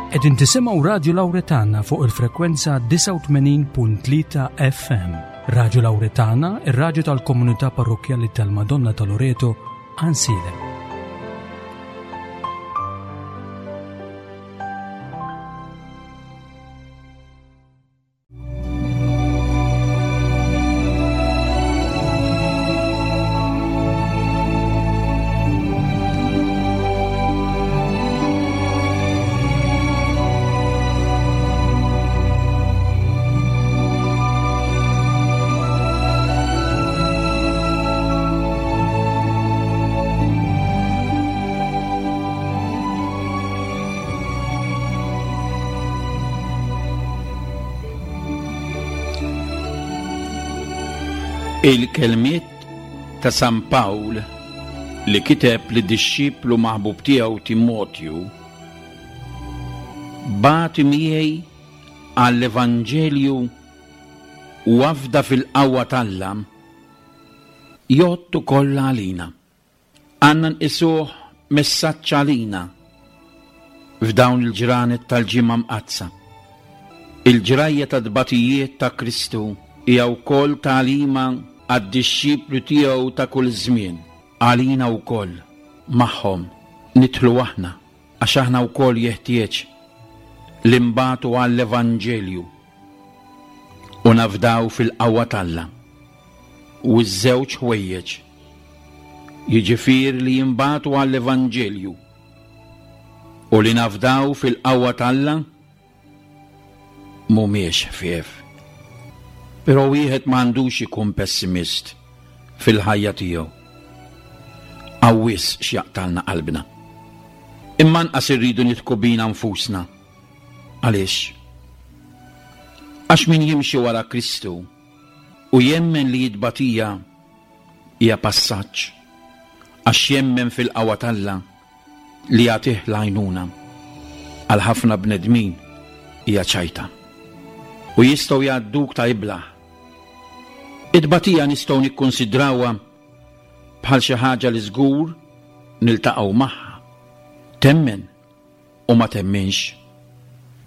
Qegħdin tisimgħu Radju Lawretana fuq il-frekwenza 89.3 FM. Radju Lawretana, ir-radju tal-komunità parrokkjali tal-Madonna ta' Loreto, Għansielem. Il-kelmiet ta' San Pawl li kiteb lid-dixxiplu maħbub tiegħu Timotju Bati miegħi għall-Evanġelju u afda fil-qawwa t'Alla jgħodd ukoll għalina. Għandna nqisuh messaġġ għalina f'dawn il-ġranet tal-Ġimgħa Mqaddsa. Il-ġrajja tat-tbatijiet ta' Kristu hija wkoll tagħlima għad-dixxipli tiegħu ta' kull żmien, għalina wkoll, magħhom nidħlu aħna, għax aħna wkoll jeħtieġ li nbatu għall-Evanġelju u nafdaw fil-qawwa t'Alla. U ż-żewġ ħwejjeġ, jiġifieri li jinbagħtu għall-Evanġelju u li nafdaw fil-qawwa t'Alla, mhumiex ħfief. Però wieħed ma għandux ikun pessimist fil-ħajja tiegħu. Hawn wisq x'jaqtgħalna qalbna. Imma anqas irridu nidħku bina nfusna. Għaliex? Għax min jimxi wara Kristu u jemmen li t-tbatija hija passaġġ, għax jemmen fil-qawwa t'Alla li jagħtih l-għajnuna, għal ħafna bnedmin hija ċajta. U jistgħu jgħadduk ta' iblah. It-tbatija nistgħu nikkunsidrawha bħal xi ħaġa li żgur niltaqgħu magħha. Temmen u ma temminx,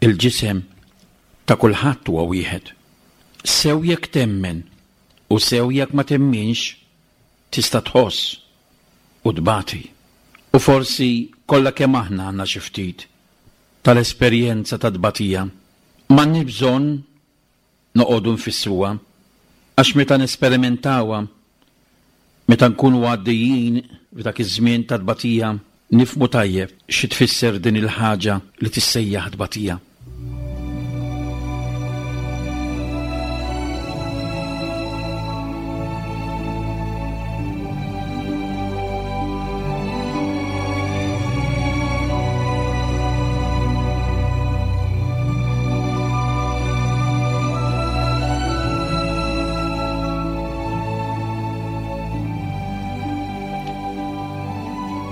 il-ġisem ta' kulħadd huwa wieħed. Sew jekk temmen u sew jekk ma temminx, tista' tħoss u tbati. U forsi kollha kemm aħna għandna xi ftit tal-esperjenza tat-tbatija. M'għandniex bżonn noqogħdu nfissruha, għax meta nesperimentawa, meta nkunu għaddejjin f'dak iż-żmien ta' tbatija, nifhmu tajjeb xi tfisser din il-ħaġa li tissejjaħ tbatija.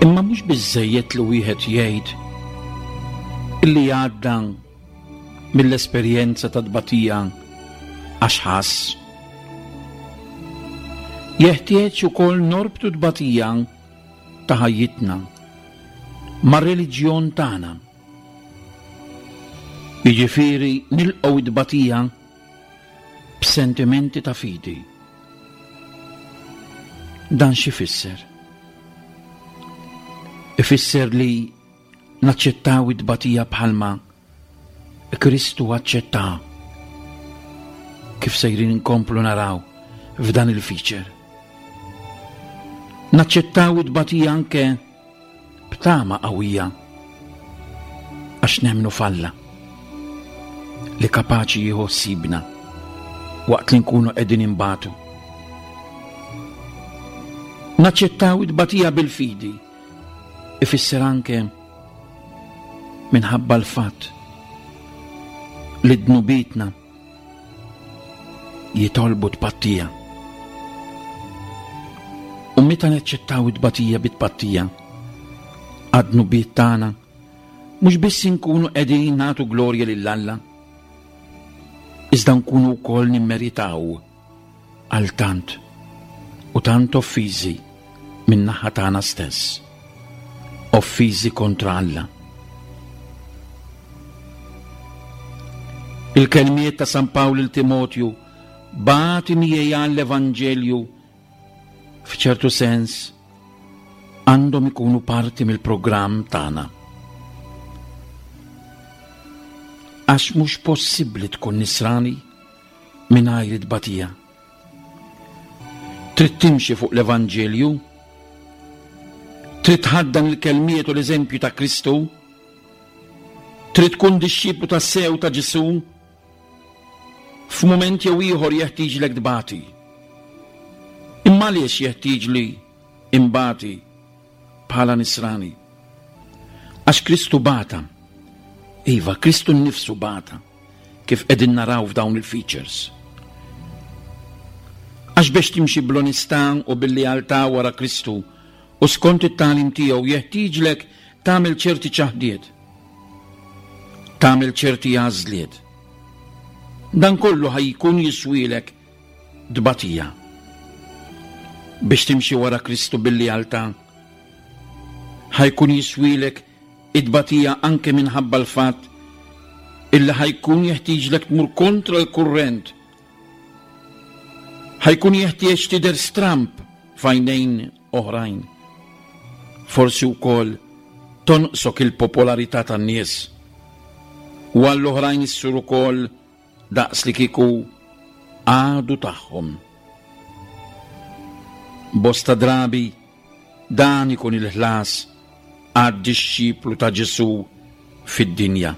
Imma mhux biżżejjed li wieħed jgħid illi għadda mill-esperjenza ta' tbatija għax ħass. Jeħtieġ ukoll norbtu tbatija ta' ħajjitna mar-reliġjon tagħna. Jiġifieri nilqgħu t-tbatija b'sentimenti ta' fidi. Dan x'ifisser? Ifisser li naċċettaw it-tbatija bħalma Kristu aċċettaha. Kif sejrin inkomplu naraw f'dan il-feature. Naċċettaw it-tbatija anke b'tama qawwija għax nemmnu f'Alla li kapaċi jieħu ħsiebna waqt li nkunu qegħdin inbatu. Naċċettaw it-tbatija bil-fidi ifisser anke minħabba l-fatt li dnubietna jitolbu tpattija. U meta neċċettaw it-tbatija bit-tpattija għad-dnubiet tagħna, mhux biss inkunu qegħdin nagħtu glorja lil Alla, iżda nkunu wkoll nimmeritaw għal tant u tant offiżi min-naħa tagħna stess, offiżi kontra Alla. Il-kelmiet ta' San Pawl lil Timotju, Bati miegħi għall-Evanġelju, f'ċertu sens, għandhom ikunu parti mill-programm tagħna. Għax mhux possibbli tkun nisrani mingħajr it-tbatija. Trid timxi fuq l-Evanġelju? Trid tħaddan il-kelmiet u l-eżempju ta' Kristu? Trid tkun dixxiplu tassew ta' Ġesù? F'mument jew ieħor jeħtieġlek tbati. Imma għaliex jeħtieġli imbati bħala nisrani? Għax Kristu bata. Iva, Kristu nnifsu bata, kif qegħdin naraw f'dawn il-features. Għax biex timxi bl-onestà u bil-lealtà wara Kristu u skont it-tagħlim tiegħu jeħtieġlek Tagħmel ċerti ċaħdiet. Tagħmel ċerti għażliet. Dan kollu ħa jkun jiswielek tbatija. Biex timxi wara Kristu bil-lealtà, ħa jkun jiswielek it-tbatija anke minħabba l-fatt illi ħa jkun jeħtieġlek tmur kontra l-kurrent. Ħa jkun jeħtieġ tidher stramb f'għajnejn oħrajn. Forsi wkoll tonqsok il-popolarità tan-nies. U għall-oħrajn issir ukoll daqs li kieku għadu tagħhom. Bosta drabi dan ikun il-ħlas għad-dixxiplu ta' Ġesù fid-dinja.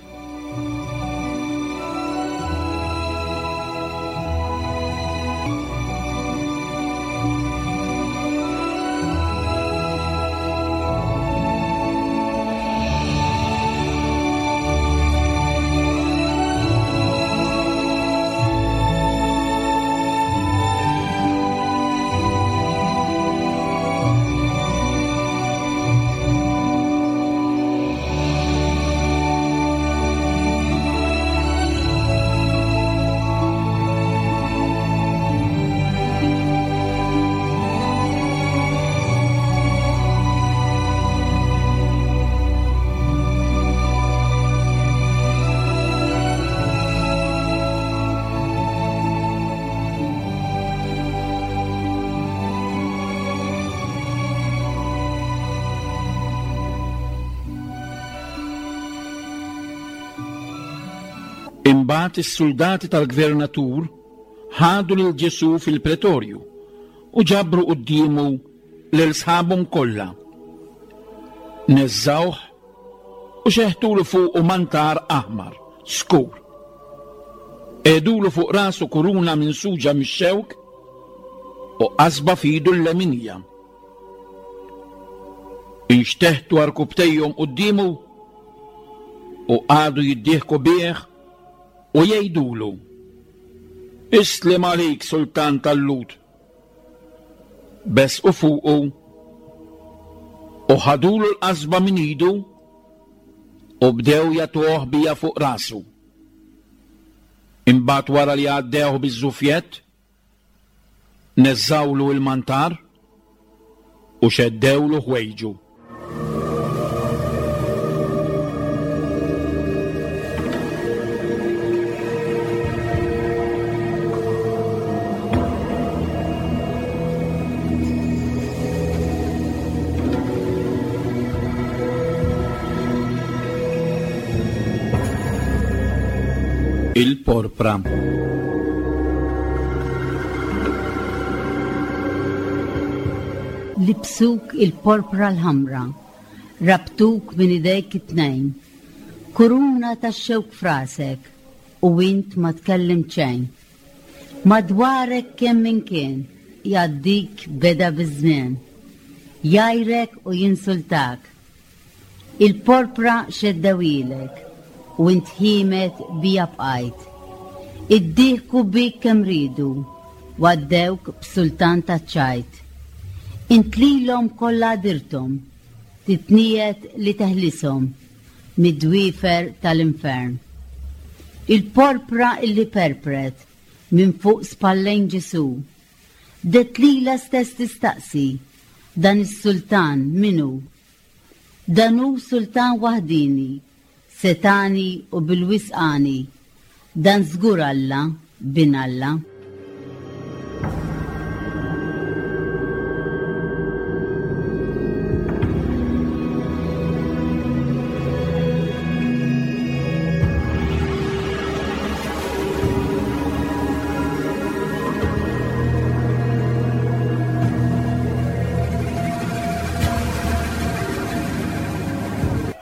Imbagħad is-suldati tal-gvernatur ħadu lil Ġesù fil-pretorju u ġabru quddiemu lil sħabhom kollha. Neżżgħuh u xeħtulu fuqu mantar aħmar, skur. Qegħdulu fuq rasu kuruna minsuġa mix-xewk u qasba f'idu l-leminija. Inxteħtu għarkupptejhom quddiemu u qagħdu jiddieħku bih u jgħidulu, Islem għalik, sultan tal-Lhud! Besqu fuqu u ħadulu l-qasba minn idu u bdew jagħtuh biha fuq rasu. Imbagħad wara li għaddewh biż-żufjett, neżżgħulu l-mantar u xeddewlu ħwejġu. Il-porpra. Libsuk il-porpra l-ħamra, rabtuk minn idejk it-tnejn, kuruna tax-xewk f'rasek u int ma tkellimt xejn. Madwarek kemm min kien jgħaddik beda biż-żmien, jgħajrek u jinsultak. Il-porpra xeddewhielek u int ħiemed bija bqajt. Iddieħku bik kemm riedu u għaddewk b'sultan taċ-ċajt. Int lilhom kollha għadirthom, titniegħed li teħlishom mid-dwiefer tal-infern. Il-porpra illi perpret minn fuq spallejn Ġesù, bdiet lilha stess tistaqsi, Dan is-sultan min hu? Dan hu sultan waħdieni, setgħani u bil-wisq għani. Dan żgur Alla, Bin Alla.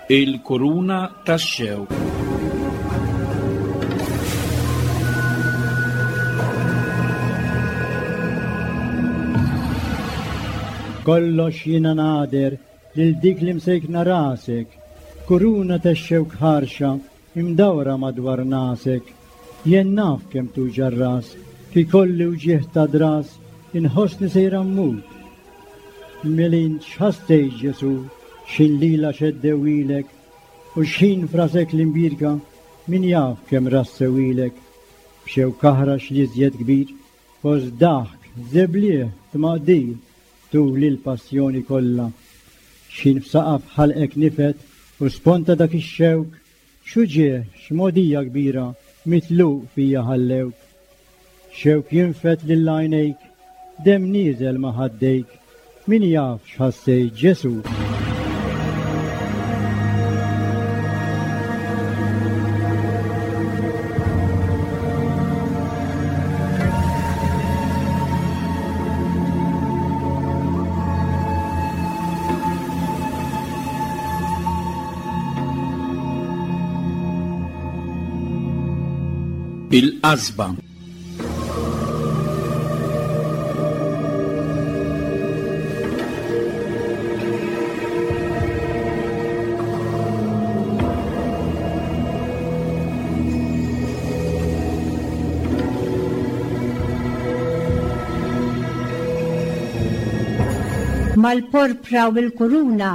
Il-kuruna tax-xewk. Kollox jiena nagħder lil dik li msejkna rasek, kuruna tax-xewk ħarxa imdawra madwar nasek. Jien naf kemm tuġa' r-ras, kif ikolli wġigħ ta' dras, inħossni sejra mmut. Mela int x'ħassejt Ġesù, x'ħin lilha xeddewilek, u x'ħin f'rasek l-imbierka, min jaf kemm rassewilek. B'xewk aħrax l-iżjed kbir, fost daħk, żeblieh, tmaqdir, tul il-passjoni kollha. X'ħin f'saqaf ħalqek nifed u sponta dak ix-xewk, x'uġigħ, x'mogħdija kbira mitluq fija ħallewk. Xewk jinfed lil għajnejk, demm nieżel ma' ħaddejk, min jaf x'ħassejt Ġesù. Il-qasba. Mal-porpra u l-kuruna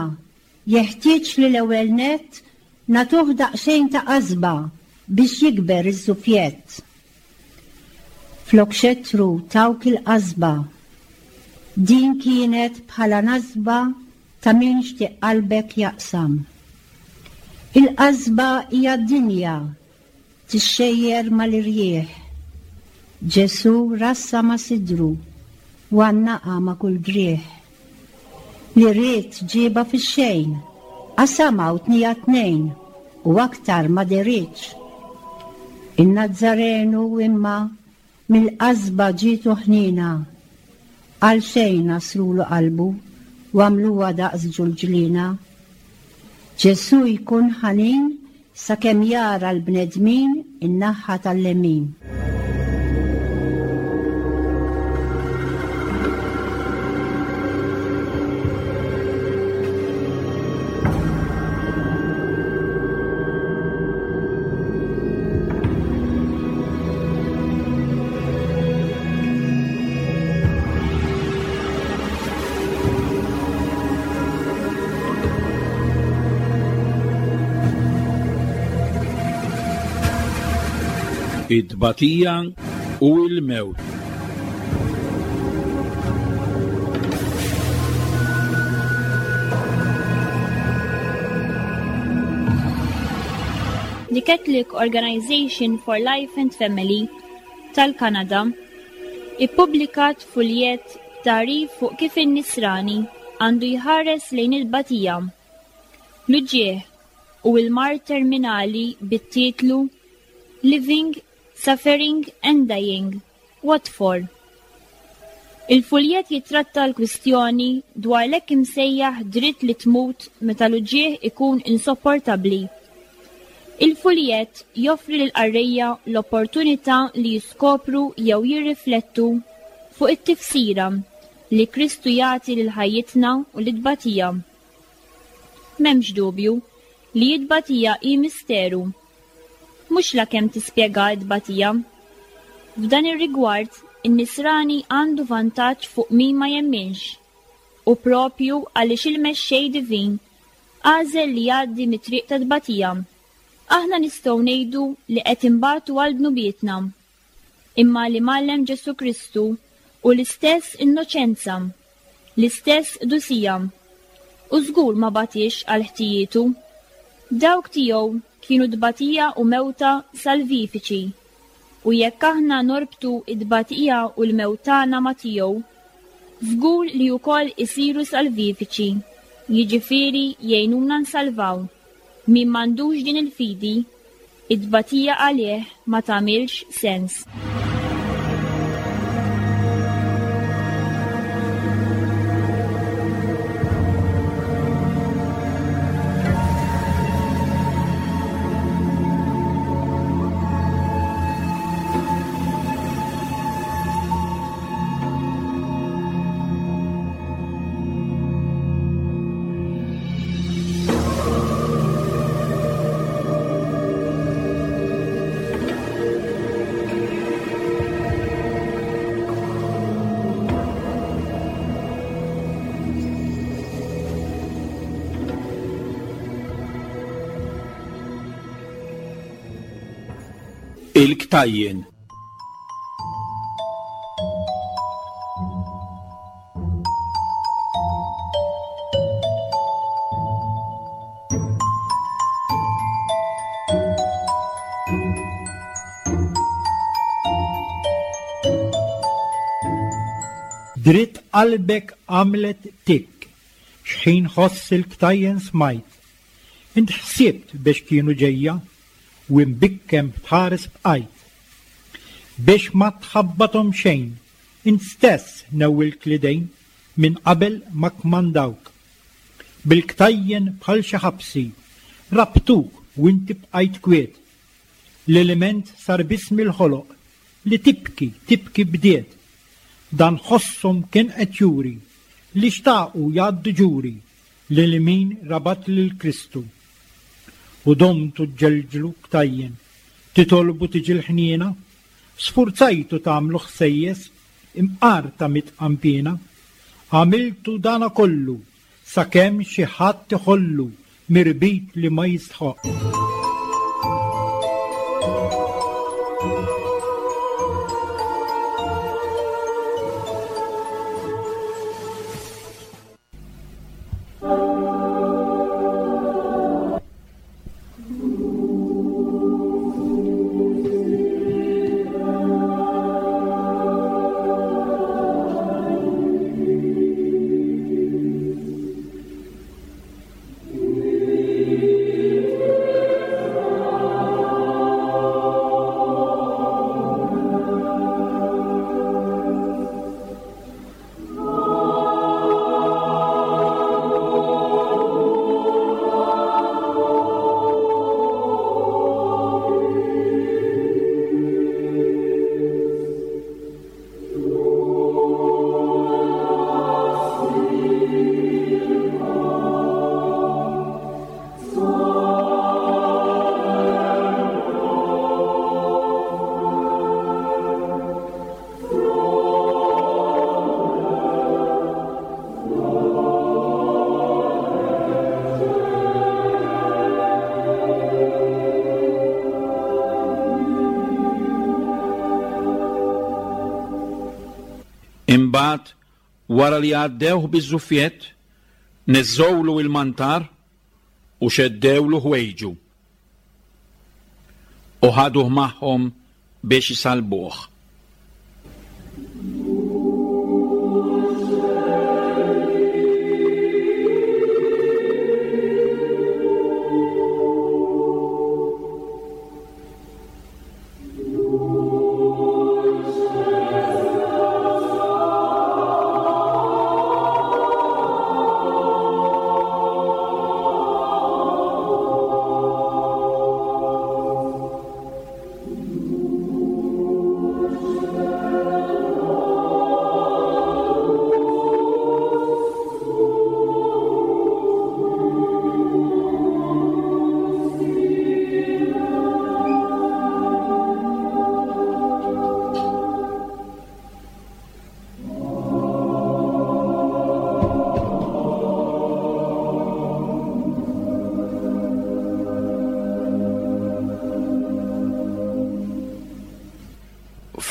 jeħtieġ li l-ewwel nett nagħtuh daqsxejn ta' qasba biex jikber iż-żufjett. Flok xettru tawk il-qasba. Din kienet bħala nasba ta' min xtieq qalbek jaqsam. Il-qasba hija d-dinja tixxejjer mal-irjieħ. Ġesù rassa ma' sidru u għannaqha ma' kull driegħ. Li ried ġiebha fix-xejn, qasamha u tnieha tnejn u aktar ma deritx. In-Nazzarenu imma Mill-qasba ġietu ħniena. Għalxejn għasrulu qalbu u għamluha daqs ġulġliena. Ġesù jkun ħanin sakemm jara l-bnedmin in-naħa tal-lemin. It-tbatija u l-mewt. The Catholic Organization for Life and Family tal-Kanada ippubblikat fuljett b'tagħrif fuq kif in-Nisrani għandu jħares lejn il-batija, l-uġigħ u l-mard terminali bit-titlu Living, Suffering and Dying. What for? Il-fuljett jittratta l-kwistjoni dwar l-hekk imsejjaħ dritt li tmut meta l-uġigħ ikun insopportabbli. Il-fuljett joffri lill-qarrejja l-opportunità li jiskopru jew jirriflettu fuq it-tifsira li Kristu jagħti lil ħajjitna u lit-tbatija. M'hemmx dubju li t-tbatija hi misteru. Mhux la kemm tispjega t-tbatija. F'dan ir-rigward, in-Nisrani għandu vantaġġ fuq min ma jemminx, u proprju għaliex il-Mexxej Divin għażel li jgħaddi mit-triq tat-tbatija. Aħna nistgħu ngħidu li qed inbatu għal dnubietna. Imma li mgħallem Ġesù Kristu hu l-istess innoċenza, l-istess qdusija. U żgur ma batiex għal ħtijietu. Dawk tiegħu kienu tbatija u mewta salvifiċi. U jekk aħna norbtu t-tbatija u l-mewt tagħna ma' tiegħu, żgur li wkoll isiru salvifiċi, jiġifieri jgħinuna nsalvaw. Min m'għandux din il-fidi, it-tbatija għalih ma tagħmilx sens. Il-ktajjen. Dritt qalbek għamlet tikk, xħin ħoss il-ktajjen smajt. Int ħsibt biex kienu ġejja, u imbikkem tħares bqajt. Biex ma tħabbathom xejn, int stess newwilt l-idejn minn qabel ma kkmandawk. Bil-ktajjen bħal xi ħabsi, rabtuk u inti bqajt kwiet. L-ilment sar biss mill-ħoloq li tibki, tibki bdiet. Dan ħosshom kien qed juri li xtaqu jgħaddu ġuri lil min rabat lil Kristu. U domtu ġġelġlu ktajjen, titolbu tiġi l-ħniena, sfurzajtu tagħmlu ħsejjes imqar ta' mitqanpiena. Għamiltu dana kollu sakemm xi ħadd iħollu mirbit li ma jistħoqq. Imbagħad, wara li għaddewh biż-żuffjett, neżżgħulu il-mantar u xeddewlu ħwejġu. U ħaduh magħhom biex isallbuh.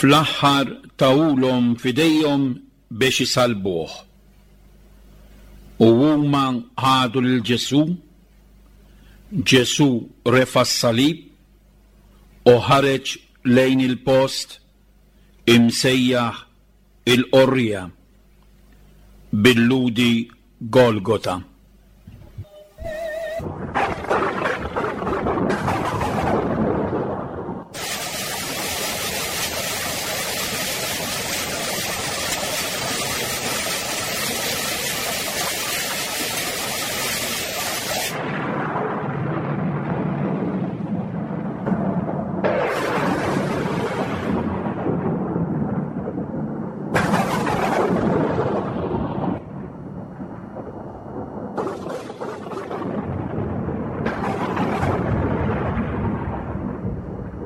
Fl-aħħar tawulhom f'idejhom biex isallbuh. U huma ħadu lil Ġesù, Ġesù refa' s-salib u ħareġ. lejn il-post imsejjaħ il-Qorrija, bil-Lhudi Golgota.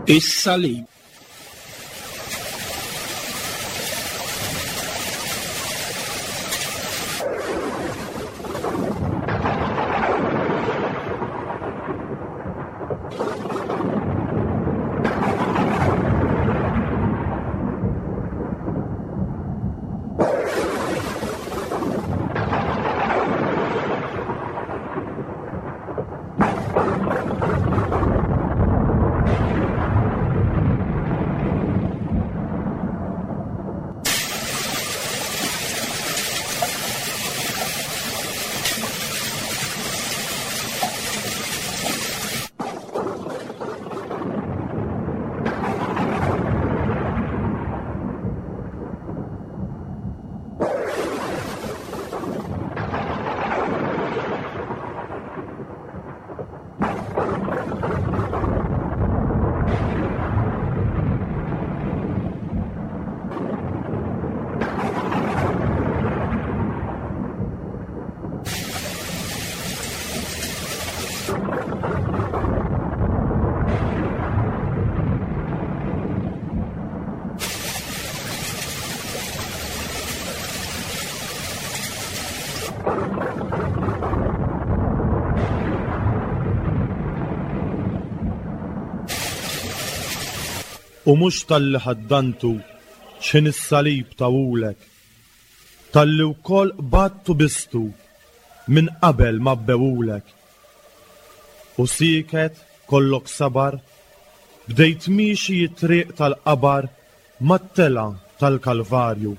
Is-salib. U mhux talli ħaddantu x'ħin is-salib tawulek, talli wkoll qbadt u bistu minn qabel ma bbewulek. U sieket, kollok sabar, bdejt miexi it-triq tal-qabar mat-telgħa tal-Kalvarju.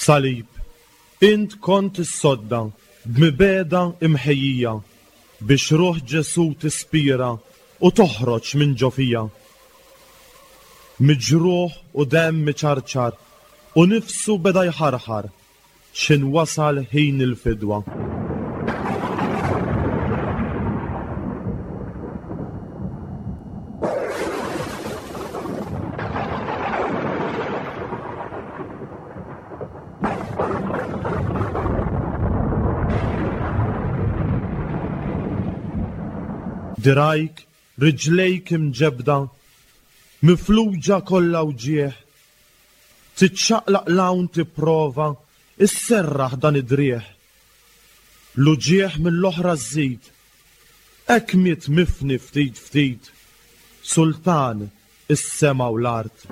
Salib, int kont is-sodda b'mibegħda imħejjija biex ruħ Ġesù tispira u toħroġ minn ġo fija. Miġruħ u demm iċarċar u nifsu beda jħarħar x'ħin wasal ħin il-fidwa. Dirgħajk, riġlejk imġebbda, mifluġa kollha wġigħ, tiċċaqlaq 'l hawn tipprova sserraħ dan id-driegħ. L-uġigħ mill-oħra żżid, hekk miet mifni ftit ftit, sultan is-sema u l-art.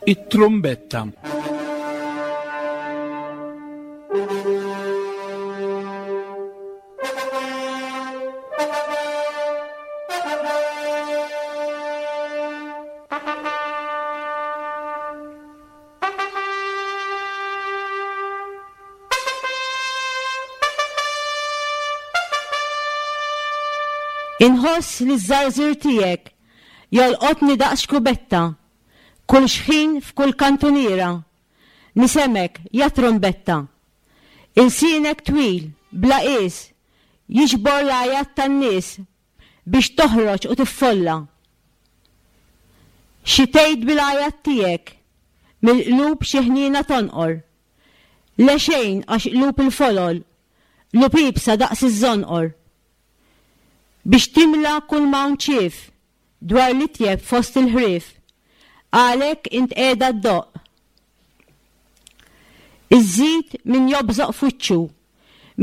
It-trumbetta. Inħoss li ż-żarżir tiegħek jolqotni daqs xkubetta, kull xħin f'kull kantuniera, nisemgħek ja trumbetta. Ilsienek twil, bla qies, jiġbor l-għajat tan-nies biex toħroġ u tiffolla. Xi tgħid bil-għajat tiegħek, mill-qlub xi ħniena tonqor. Le xejn għax qlub il-folol, qlub iebsa daqs iż-żonqor. Biex timla kull m'hawn ċief dwar l-itjeb fost il-ħrief, għalhekk int qiegħda ddoqq. Iżżid min jobżoq f'wiċċu,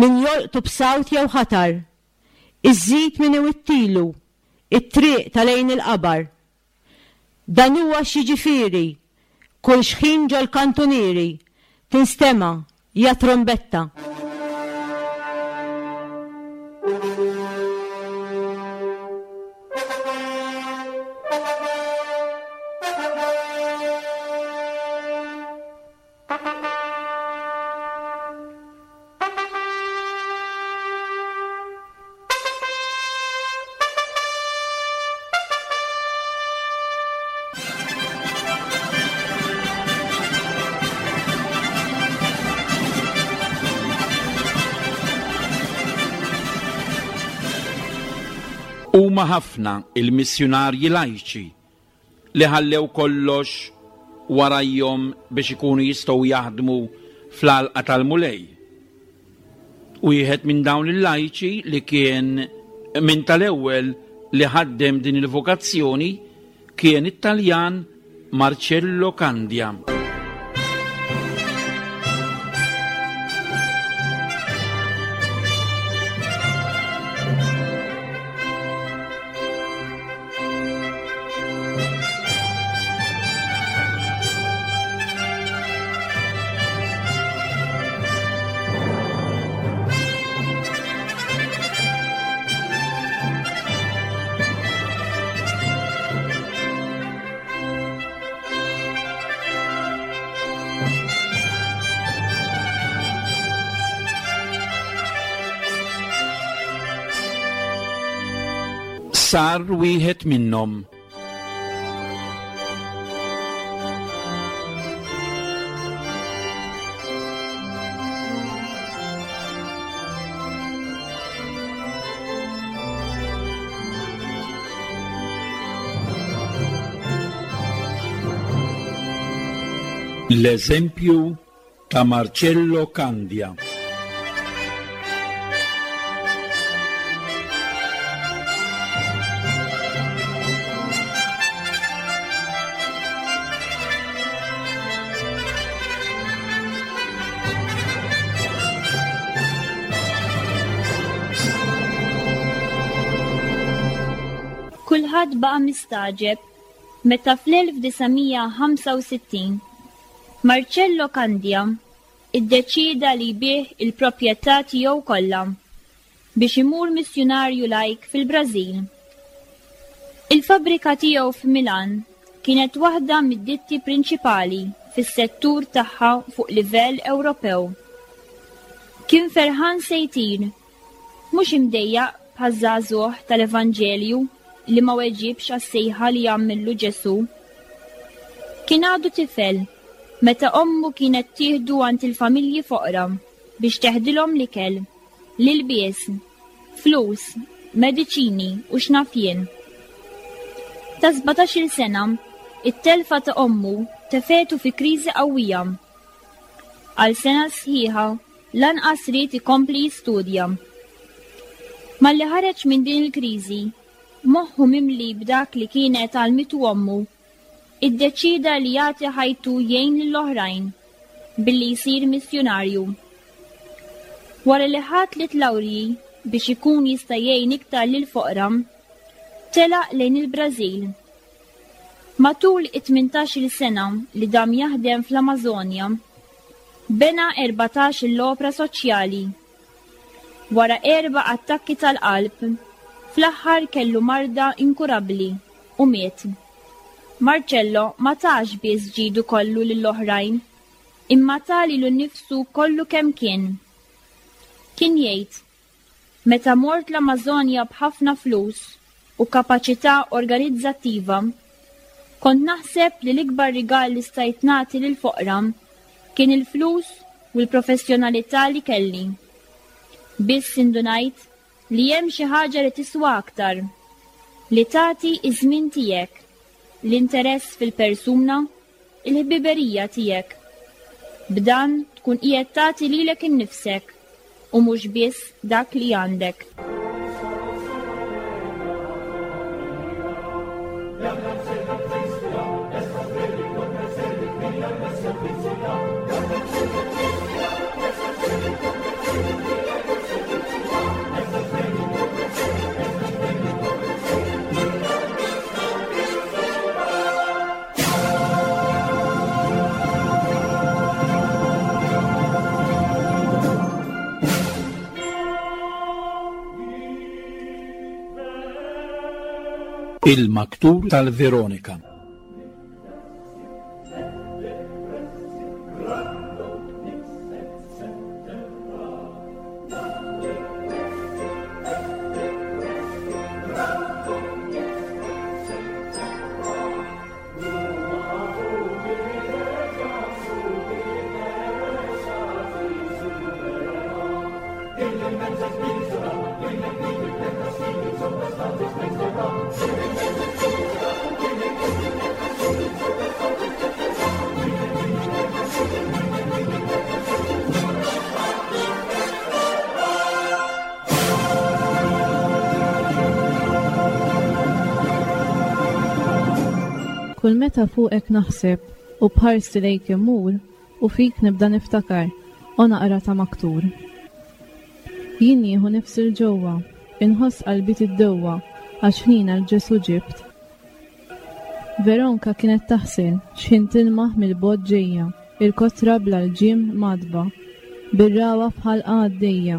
min jolqtu b'sawt jew ħatar, iżżid min iwittilu t-triq ta' lejn il-qabar. Dan huwa x'jiġifieri kull xħin ġol-kantunieri tinstema' ja trumbetta. Huma ħafna il-missjunarji lajċi li ħallew kollox warajhom biex ikunu jistgħu jaħdmu fl-għalqa tal-Mulej. Wieħed minn dawn il-lajċi li kien minn tal-ewwel li ħaddem din il-vokazzjoni kien it-Taljan Marcello Candia. Sar wieħed minnhom. L-eżempju ta' Marcello Candia. Kulħadd baqa' mistagħġeb meta fl-1965 Marcello Candia iddeċieda li jbigħ il-proprjetà tiegħu kollha biex imur missjunarju lajk fil-Brażil. Il-fabbrika tiegħu f'Milan kienet waħda mid-ditti prinċipali fis-settur tagħha fuq livell Ewropew. Kien ferħan se jtir Mhux imdejjaq bħaż-żagħżugħ tal-Evanġelju li ma weġibx għas-sejħa li għamillu Ġesù. Kien għadu tifel meta ommu kienet tieħdu għand il-familji foqra biex teħdilhom l-ikel, l-ilbies, flus, mediċini u x'naf jien. Ta' sbatax-il sena, it-telfa ta' ommu tefgħetu fi kriżi qawwija. Għal sena sħiħa Lanqas ried ikompli jistudja. Malli ħareġ minn din il-kriżi, moħħu mimli b'dak li kienet għallmitu ommu, iddeċieda li jagħti ħajtu jgħin lill-oħrajn billi jsir missjunarju. Wara li ħa tliet lawrji biex ikun jista' jgħin iktar lill-foqra, telaq lejn il-Brażil. Matul it-tmintax-il sena li dam jaħdem fl-Amażonja, bena 14-il opra soċjali. Wara erba' attakki tal-qalb, fl-aħħar kellu marda inkurabbli u miet. Marcello ma tax biss ġidu kollu lill-oħrajn, imma ta lilu nnifsu kollu kemm kien. Kien jgħid, Meta mort l-Amażonja b'ħafna flus u kapaċità organizzattiva, kont naħseb li l-ikbar rigal li stajt nagħti lill-foqra kien il-flus u l-professjonalità li kelli. Biss indunajt li hemm xi ħaġa li tiswa aktar, li tagħti ż-żmien tiegħek, l-interess fil-persuna, il-ħbiberija tiegħek. B'dan tkun qiegħed tagħti lilek innifsek u mhux biss dak li għandek. Il-Maktur tal-Veronika. Kull meta fuqek naħseb u b'ħarsti lejk immur u fik nibda niftakar o naqra ta' maktur. Jien nieħu nifs 'il ġewwa, inħoss qalbi tiddewwa għax ħniena 'l Ġesù ġibt. Veronka kienet taħsel x'ħin tilmaħ mill-bogħod ġejja il-kotra bla lġiem mgħaddba, bir-ragħwa f'ħalqha għaddejja.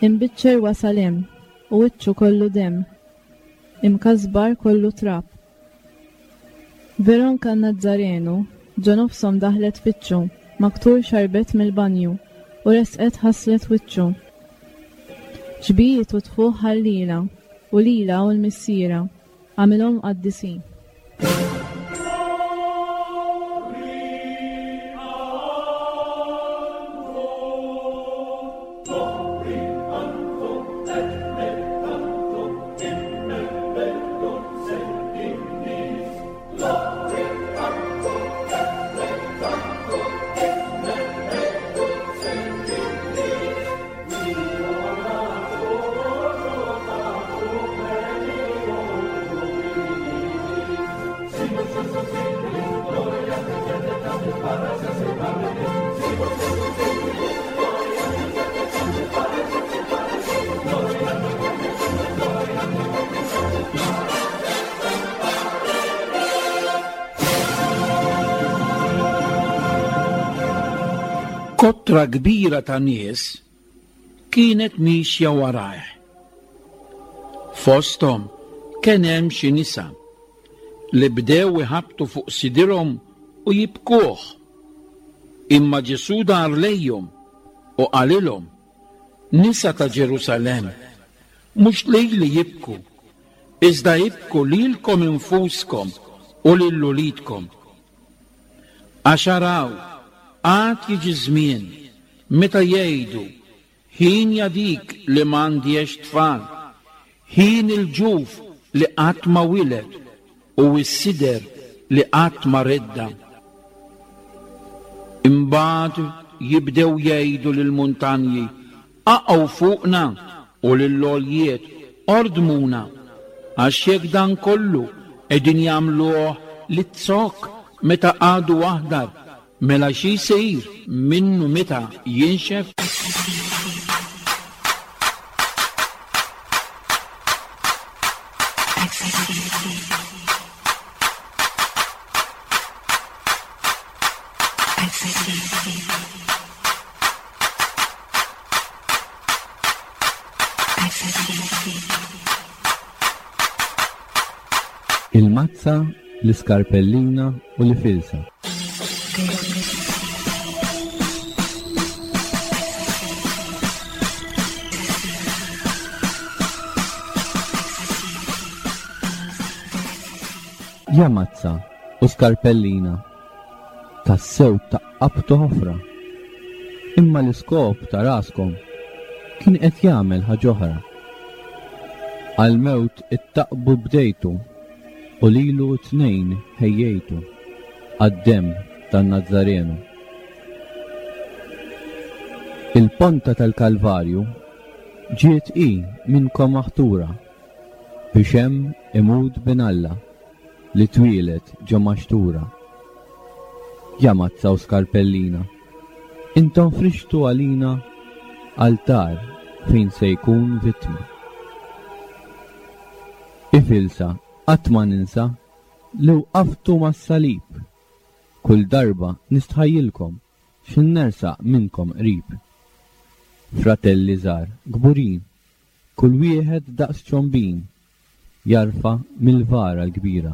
Imbiċċer wasal hemm u wiċċu kollu demm, imkasbar kollu trab. Veronka n-Nazzarenu ġo nofshom daħlet tfittxu, maktur xarbet mill-banju u resqet ħaslet wiċċu. Xbijiet u tfuħ ħallielha u lilha u l-missierha, għamilhom qaddisin. Kotra kbira ta' nies kienet miexja warajh. Fosthom kien hemm xi nisa li bdew iħabbtu fuq sidirhom u jibkuh. Imma Ġesù dar lejhom u qalilhom, Nisa ta' Ġerusalemm, mhux lili jibku, iżda ibku lilkom infuskom u lil uliedkom. Għax araw, għad jiġi żmien meta jgħidu, Hienja dik li m'għandhiex tfal, hien il-ġuf li qatt ma wiled u s-sider li qatt ma redda'. Imbagħad jibdew jgħidu lill-muntanji, Aqgħu fuqna! u lill-għoljiet, Ordmuna! Għax jekk dan kollu qegħdin jagħmluh lit-zokk meta għadu aħdar, mela xi jsir minnu meta jinxef? Il-mazza, l-iskarpellina u l-ifilsa. Ja mazza u skarpellina, tassew taqqabtu ħofra. Imma l-iskop ta' raskom kien qed jagħmel ħaġ'oħra. Għall-mewt ittaqbu bdejtu u lilu t-tnejn ħejjejtu għad-demm tan-Nazzarenu. Il-ponta tal-Kalvarju ġiet hi minnkom maħtura biex hemm imut Bin Alla li twieled ġo maxtura. Ja mazza u skarpellina, intom frixtu għalina altar fejn se jkun vittma. Ifilsa qatt ma ninsa li wqaftu mas-salib. Kull darba nistħajjilkom x'in nersaq minnkom qrib. Fratelli żgħar kburin, kull wieħed daqs ċombin jarfa' mill-vara l-kbira.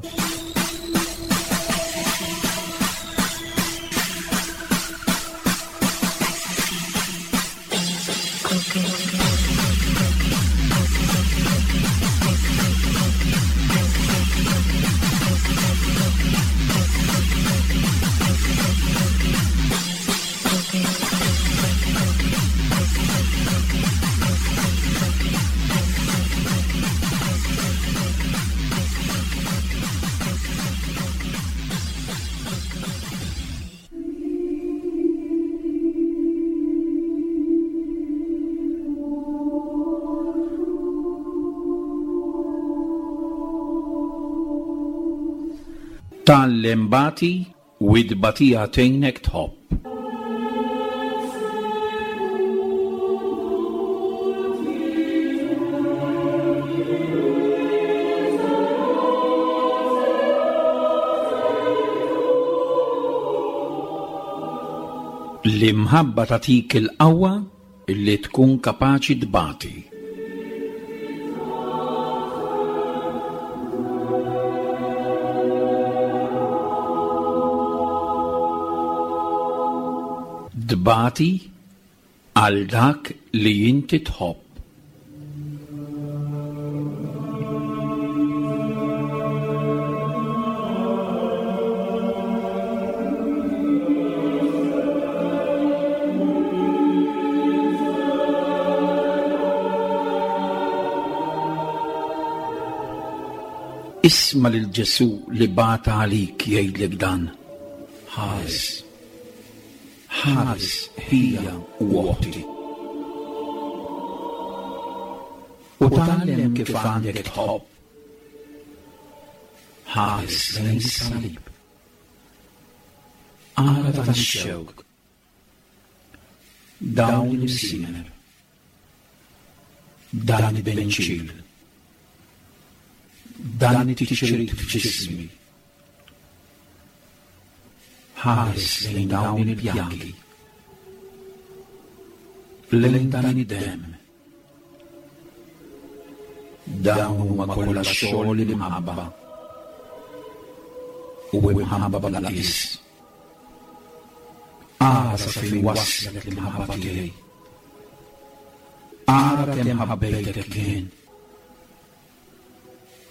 Tgħallem bati u t-tbatija tgħinek tħobb. L-imħabba tagħtik il-qawwa li tkun kapaċi tbati. Tbati għal dak li inti tħobb. Isma' lil Ġesù li bata għalik jgħidlek dan, Ħares, ħares ħija u oħti. U tgħallem kif għandek tħobb. Ħares lejn is-salib. Ara dan ix-xewk. Dawn l-imsiemer. Dan it-tbenċil. Dan it-tiċrit f'ġismi. Ħares lejn dawn il-pjagi. Lejn dan id-demm. Dawn huma kollha xogħol l-imħabba. U imħabba bla qies. Ara sa fejn waslek l-imħabba tiegħi. Ara kemm ħabbejtek jien.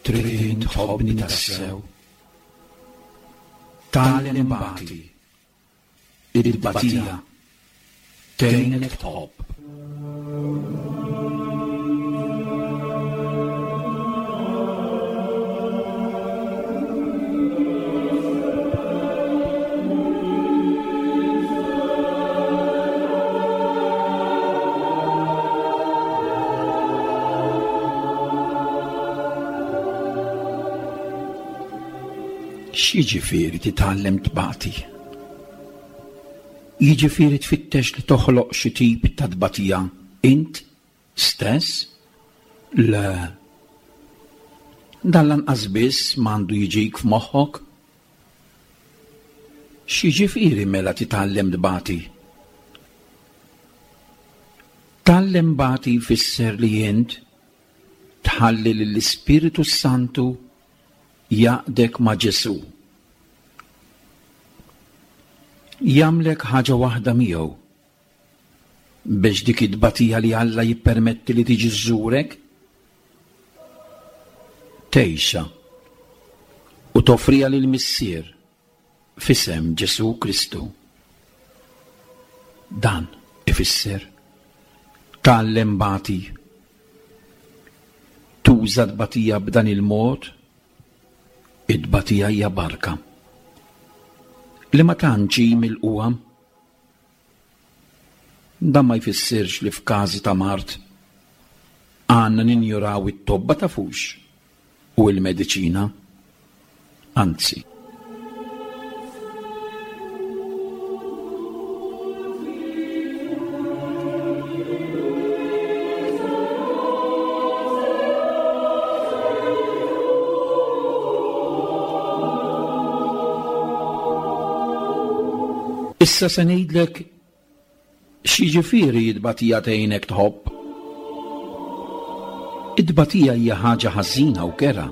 Trid int tħobbni tassew? Tgħallem bati. It-tbatija tgħinek tħobb. X'jiġifieri titgħallem tbati? Jiġifieri tfittex li toħloq xi tip ta' tbatija int stess? Le. Dan lanqas biss m'għandu jiġik f'moħħok. X'jiġifieri mela titgħallem tbati? Tgħallem bati jfisser li int tħalli lill-Ispirtu s-Santu jgħaqqdek ma' Ġesù. Jagħmlek ħaġa waħda miegħu biex dik it-tbatija li Alla jippermetti li tiġi żżurek tgħixha u toffriha lill-Missier f'isem Ġesù Kristu. Dan ifisser tgħallem bati. Tuża tbatija b'dan il-mod, it-tbatija hija barka li ma tantx hi milqugħa. Dan ma jfissirx li f'każi ta' mard għandna ninjuraw it-tobba tafux u l-mediċina. Anzi. Issa se ngħidlek x'jiġifieri t-tbatija tgħinek tħobb. It-tbatija hija ħaġa ħażina u kerha.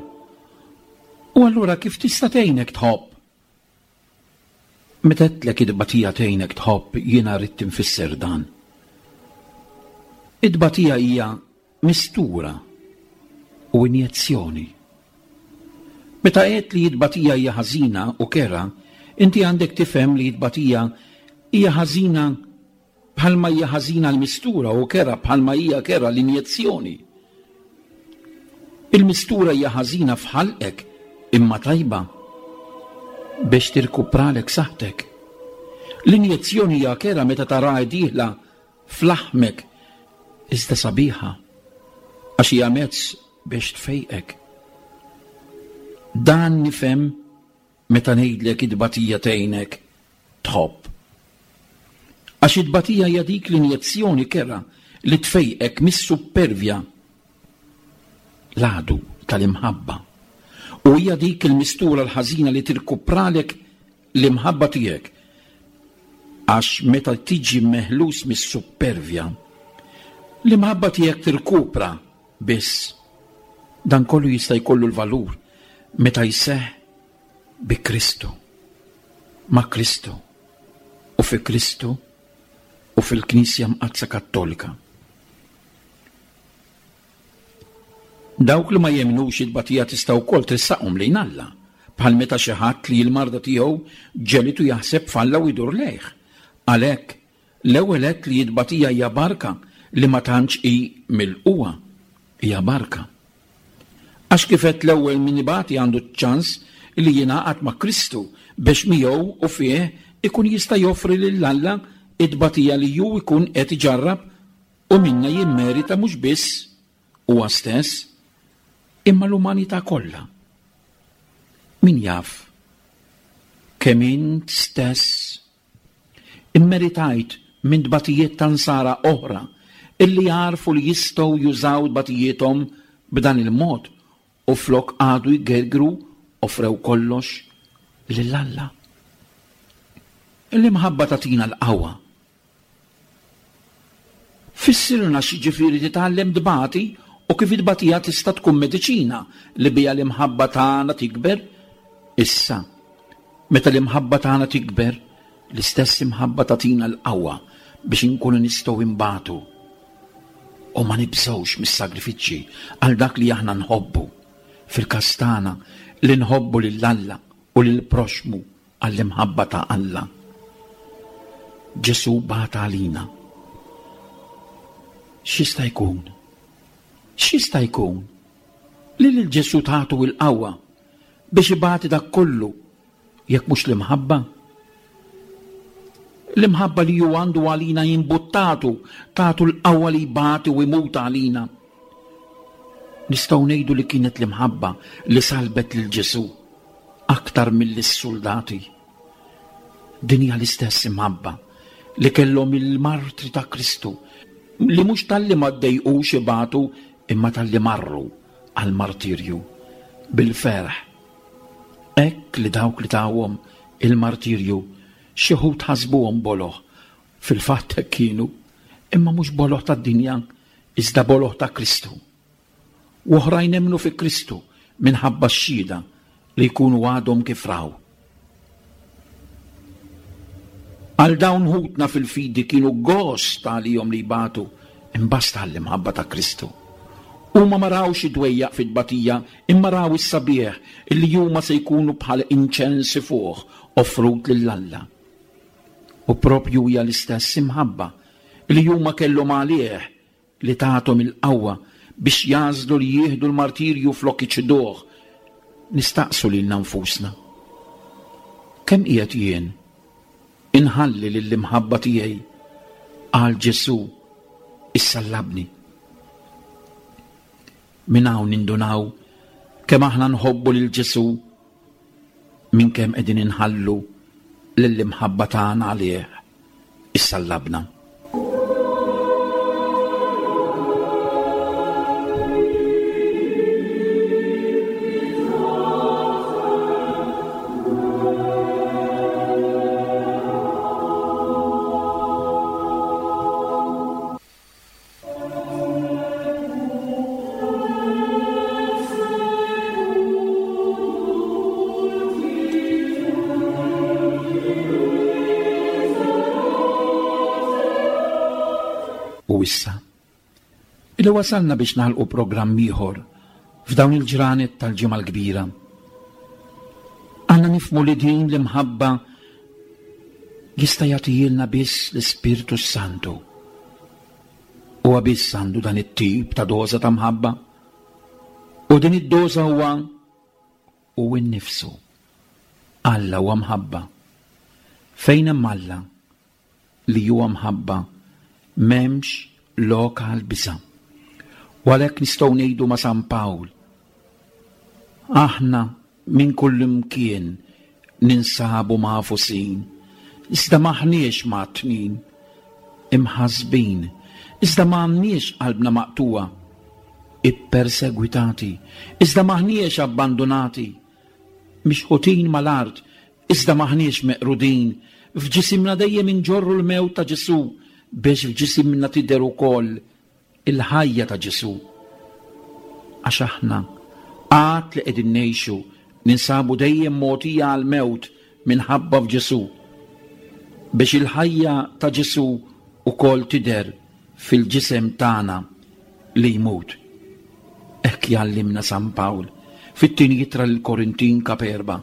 U allura kif tista' tgħinek tħobb? Meta għedtlek it-tbatija tgħinek tħobb jiena ridt infisser dan. It-tbatija hija mistura u injezzjoni. Meta għedt li t-tbatija hija ħażina u kerha, inti għandek tifhem li t-tbatija hija ħażina bħalma hija ħażina l-mistura u kerha bħalma hija kerha l-injezzjoni. Il-mistura hija ħażina f'ħalqek imma tajba biex tirkupralek saħħtek. L-injezzjoni hija kerha meta taraha dieħla f'laħmek iżda sabiħa għax hija mezz biex tfejqek. Dan nifhem meta ngħidlek it-tbatija tgħinek tħobb. Għax it-tbatija hija dik l-injezzjoni kerha li tfejqek mis-suppervja, l-għadu tal-imħabba. U hija dik il-mistura l-ħażina li tirkupralek l-imħabba tiegħek. Għax meta tiġi meħlus mis-suppervja, l-imħabba tiegħek tirkupra biss. Dan kollu jista' jkollu l-valur meta jseħħ bi Kristu, ma' Kristu u fi Kristu u fil-Knisja Mqaddsa Kattolika. Dawk li ma jemmnux it-tbatija tista' wkoll tressaqhom lejn Alla, bħal meta xi ħadd li l-marda tiegħu ġegħlitu jaħseb f'Alla u jdur lejh. Għalhekk, l-ewwel għedt li t-tbatija hija barka li ma tantx hi milqugħa. Hija barka. Għax kif għedt l-ewwel min ibati għandu ċ-ċans li jingħaqad ma' Kristu biex miegħu u fih ikun jista' joffri lil Alla t-tbatija li hu jkun qed iġarrab U minnha jimmerita mhux biss huwa stess, imma l-umanità kollha. Min jaf kemm int stess immeritajt minn tbatijiet ta' nsara oħra illi għarfu li jistgħu jużaw tbatijiethom b'dan il-mod u flok qagħdu jgergru offrew kollox lil Alla. L-imħabba tagħtina l-qawwa Fissirlna x'jiġifieri titgħallem tbati u kif it-tbatija tista' tkun mediċina li biha l-imħabba tagħna tikber. Issa, meta l-imħabba tagħna tikber, l-istess imħabba tagħtina l-qawwa biex inkunu nistgħu nbatu u ma nibżgħux mis-sagrifiċċji għal dak li aħna nħobbu, fil-każ tagħna li nħobbu lil Alla u lill-proxxmu għall-imħabba ta' Alla. Ġesù bagħat għalina. X'jista' jkun? X'jista' jkun li lil Ġesù tagħtu l-qawwa biex ibati dak kollu jekk mhux l-imħabba? L-imħabba li hu għandu għalina jimbuttatu, tagħtu l-qawwa li jbati u jmut għalina. Nistgħu ngħidu li kienet l-imħabba li salbet lil Ġesù aktar milli s-suldati. Din hija l-istess imħabba li kellhom il-martri ta' Kristu li mhux talli ma ddejqux ibatu imma talli marru għall-martirju bil-ferħ. Hekk li dawk li tawhom il-martirju. Xi wħud ħasbuhom boloh. Fil-fatt hekk kienu, imma mhux boloh tad-dinja, iżda boloh ta' Kristu. U oħrajn emmnu fi Kristu minħabba x-xhieda li jkunu għadhom kif raw. Għal dawn ħutna fil-fidi kienu gost għalihom li jbatu imbasta għall-imħabba ta' Kristu. Huma ma rawx id-dwejjaq fit-tbatija imma raw is-sabiħ illi huma se jkunu bħal inċens ifuħ offrut lil Alla. U proprju hija l-istess imħabba li huma kellhom għalih li tathom il-qawwa biex jagħżlu li jieħdu l-martirju flok iċiduh, nistaqsu lilna nfusna, Kemm qiegħed jien inħalli lill-imħabba tiegħi għal Ġesù issallabni? Minn hawn nindunaw kemm aħna nħobbu lil Ġesù minn kemm qegħdin inħallu lill-imħabba tagħna għalih issallabna. U issa, illi wasalna biex nagħlqu programm ieħor f'dawn il-ġranet tal-Ġimgħa l-Kbira. Għandna nifhmu li din l-imħabba jista' jagħtihielna biss l-Ispirtu s-Santu. Huwa biss għandu dan it-tip ta' doża ta' mħabba. U din id-doża huwa hu nnifsu. Alla huwa mħabba. Fejn hemm Alla li huwa mħabba, m'hemmx lok għal biża'. U għalhekk nistgħu ngħidu ma' San Pawl, aħna Minn kullimkien ninsabu magħfusin, iżda m'aħniex mgħattnin, imħassbin, iżda m'għandniex qalbna maqtugħa, ippersegwitati, iżda m'aħniex abbandunati, mixħutin mal-art, iżda m'aħniex meqrudin, f'ġisimna dejjem inġorru l-mewt ta' Ġesù, biex f'ġisimna tidher ukoll il-ħajja ta' Ġesù. Għax aħna, għad li qegħdin ngħixu, ninsabu dejjem mogħtija għall-mewt minħabba f'Ġesù, biex il-ħajja ta' Ġesù wkoll tidher fil-ġisem tagħna li jmut. Hekk jgħallimna San Pawl fit-tieni ittra lill-Korintin kap 4,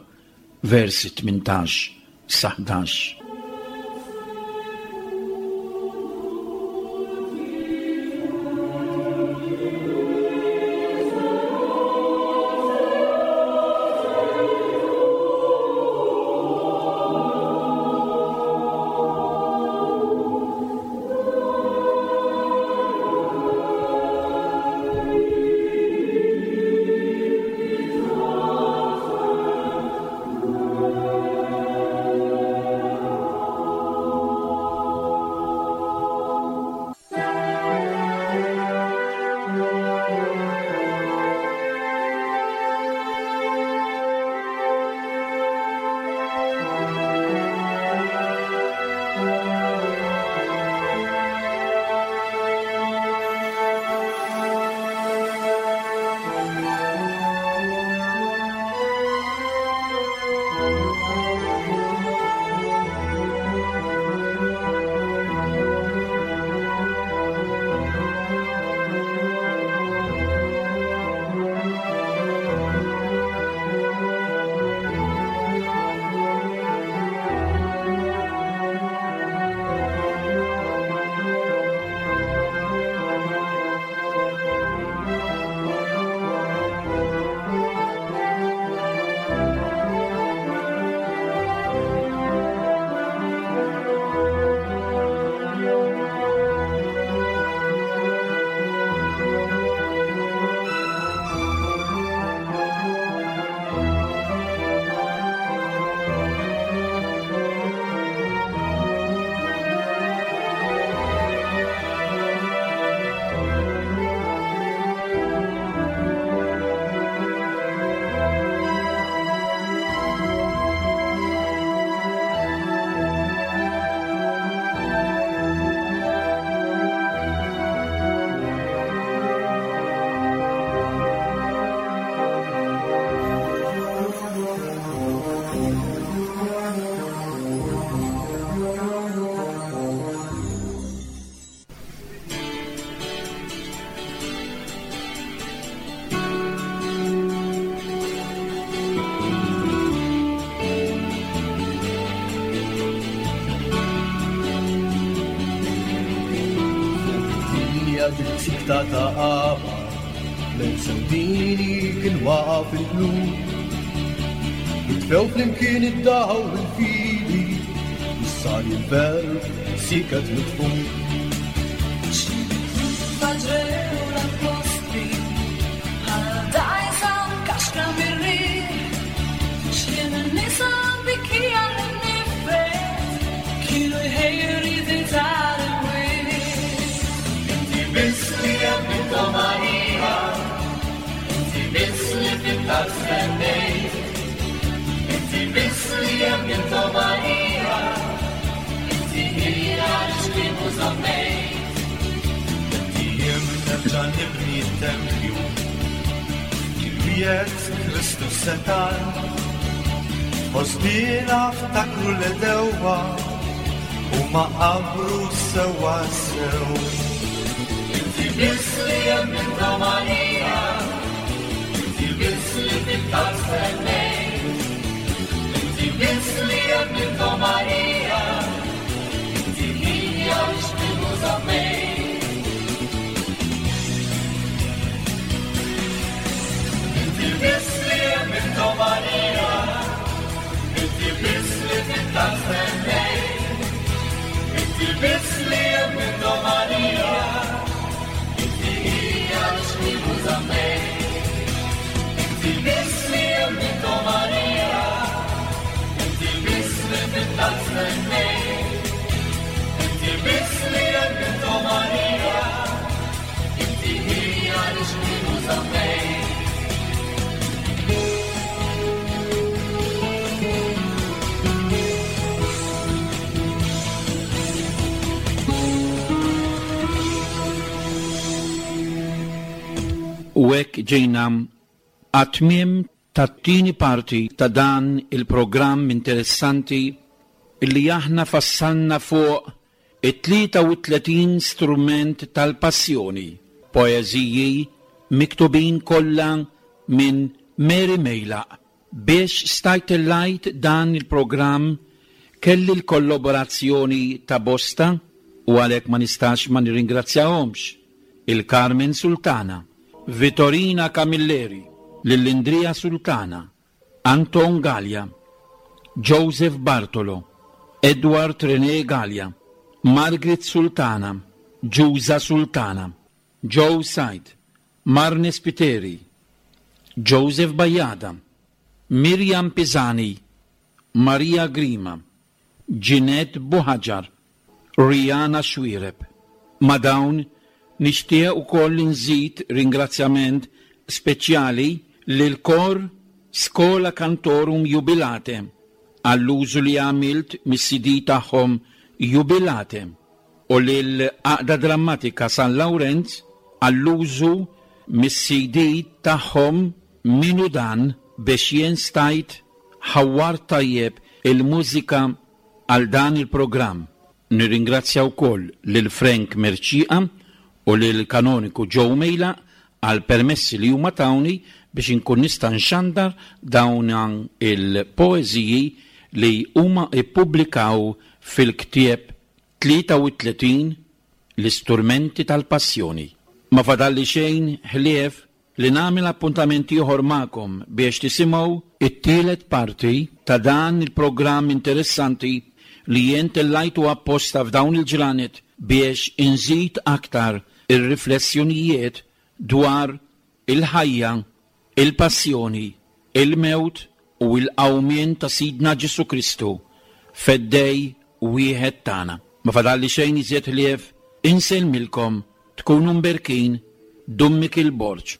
versi 18 sa 11. Id-dinja ġiet sikta ta' qabar, lejl sewdini kien waqa' fil-qlub. Jitfew flimkien id-dawl u l-fidi, issa li l-verb siket mitfun. Faġrew l-appostli, bħal dgħajsa mkaxkra mir-riħ. X'ħin in-nisa bikija l-nifet, kienu jħejju riti tal-imwiet. Inti biss li emmint, o Marija, inti biss li fit-talb stennejt. Inti biss li emmint, o Marija, inti hija l-xkien u żammejt. Jiem nerġa' nibni t-tempju, kien wiegħed Kristu setan. Ħosbina ftakru l-edewwa, huma qabru sewwa sew. Inti biss li emmint, o Marija, inti biss li fit-talb stennejt. Inti biss li emmint, o Marija, inti hija l-xkien u żammejt. Inti biss li emmint, o Marija, inti biss li fit-talb stennejt. Inti biss li emmint, o Marija, inti hija l-xkien u żammejt. Inti biss li emmint, o Marija, inti biss li fit-talb stennejt. Inti biss li emmint, o Marija, inti hija l-xkien u żammejt. U hekk ġejna għat-tmiem tat-tieni parti ta' dan il-programm interessanti illi aħna fassalna fuq it-33 strument tal-passjoni, poeżiji miktubin kollha minn Mary Meilaq. Biex stajt tellajt dan il-programm kelli l-kollaborazzjoni ta' bosta u għalhekk ma nistax ma nirringrazzjahomx. Il-Carmen Sultana, Vittorina Camilleri, Lillindria Sultana, Anton Gallia, Joseph Bartolo, Edward René Gallia, Margaret Sultana, Giusa Sultana, Joe Said, Marne Spiteri, Joseph Bajada, Miriam Pisani, Maria Grima, Ginette Buhaġar, Rihanna Xuereb. Ma' dawn nixtieq ukoll nżid ringrazzjament speċjali lil kor Schola Cantorum Jubilate għall-użu li għamilt mis-CD tagħhom Jubilate u lil Għaqda Drammatika San Lawrenz għall-użu mis-CD tagħhom Min hu dan biex jien stajt ħawwart tajjeb il-mużika għal dan il-programm. Nirringrazzja wkoll lil Frank Mercieca u lil Kanoniku Joe Meilaq għal permessi li huma tawni biex inkun nista' nxandar dawn il-poeżiji li huma ppubblikaw fil-ktieb 33 L-Isturmenti tal-Passjoni. Ma fadalli xejn ħlief li nagħmel appuntament ieħor magħkom biex tisimgħu it-tielet parti ta' dan il-programm interessanti li jien tellajtu apposta f'dawn il-ġranet biex inżid aktar ir-riflessjonijiet dwar il-ħajja, il-passjoni, il-mewt u l-qawmien ta' Sidna Ġesù Kristu, Feddej wieħed tagħna. Ma fadalli xejn iżjed ħlief insellmilkom, tkunu mberkin, Dun Mikiel Borg.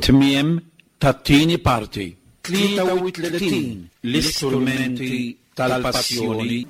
Tmiem tat-tieni parti. 33 l-istrumenti tal-passjoni.